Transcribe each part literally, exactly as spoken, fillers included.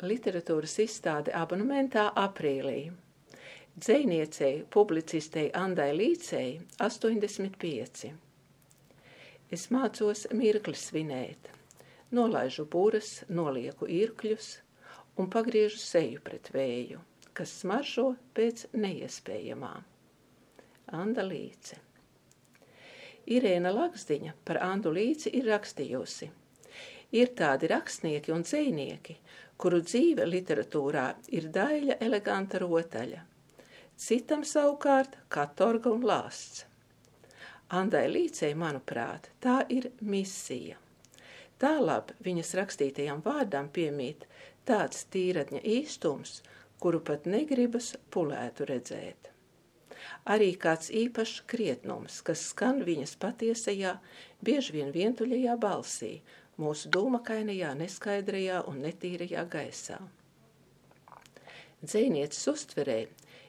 literatūras izstāde abonementā aprīlī. Dzejniecei, publicistei Andai Līcei astoņdesmit pieci. Es mācos mirkli svinēt, nolaižu buras, nolieku irkļus un pagriežu seju pret vēju, kas smaržo pēc neiespējamā. Anda Līce. Irēna Lakzdiņa par Andu Līci ir rakstījusi. Ir tādi rakstnieki un dzejnieki, kuru dzīve literatūrā ir daļa eleganta rotaļa. Citam savukārt katorga un lāsts. Andai Līcei, manuprāt, tā ir misija. Tālāk viņas rakstītajam vārdam piemīt tāds tīratņa īstums, kuru pat negribas pulētu redzēt. Arī kāds īpašs krietnums, kas skan viņas patiesajā, bieži vien vientuļajā balsī, mūsu dūmakainajā, neskaidrajā un netīrajā gaisā. Dzejnieces uztverē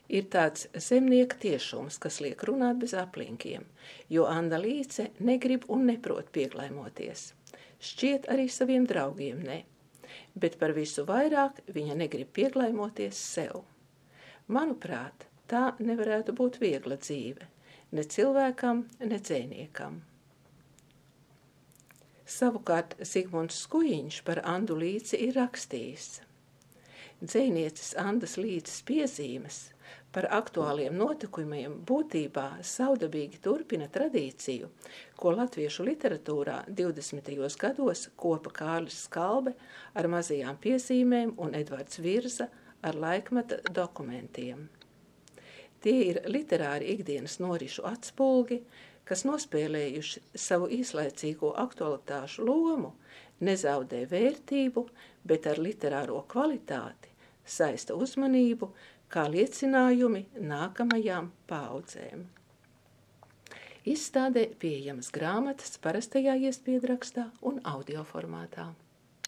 ir tāds zemnieka tiešums, kas liek runāt bez aplinkiem, jo Anda Līce negrib un neprot pieglaimoties. Šķiet arī saviem draugiem ne, bet par visu vairāk viņa negrib pieglaimoties sev. Manuprāt, tā nevarētu būt viegla dzīve, ne cilvēkam, ne dzejniekam. Savukārt Zigmunds Skujiņš par Andu Līci ir rakstījis. Dzejnieces Andas Līces piezīmes par aktuāliem notikumiem būtībā savdabīgi turpina tradīciju, ko latviešu literatūrā divdesmitajos gados kopa Kārlis Skalbe ar mazajām piezīmēm un Edvards Virza ar laikmeta dokumentiem. Tie ir literāri ikdienas norišu atspulgi, kas nospēlējuši savu īslaicīgo aktualitāšu lomu, nezaudē vērtību, bet ar literāro kvalitāti saista uzmanību kā liecinājumi nākamajām paaudzēm. Izstādē pieejamas grāmatas parastajā iespiedu rakstā un audio formātā.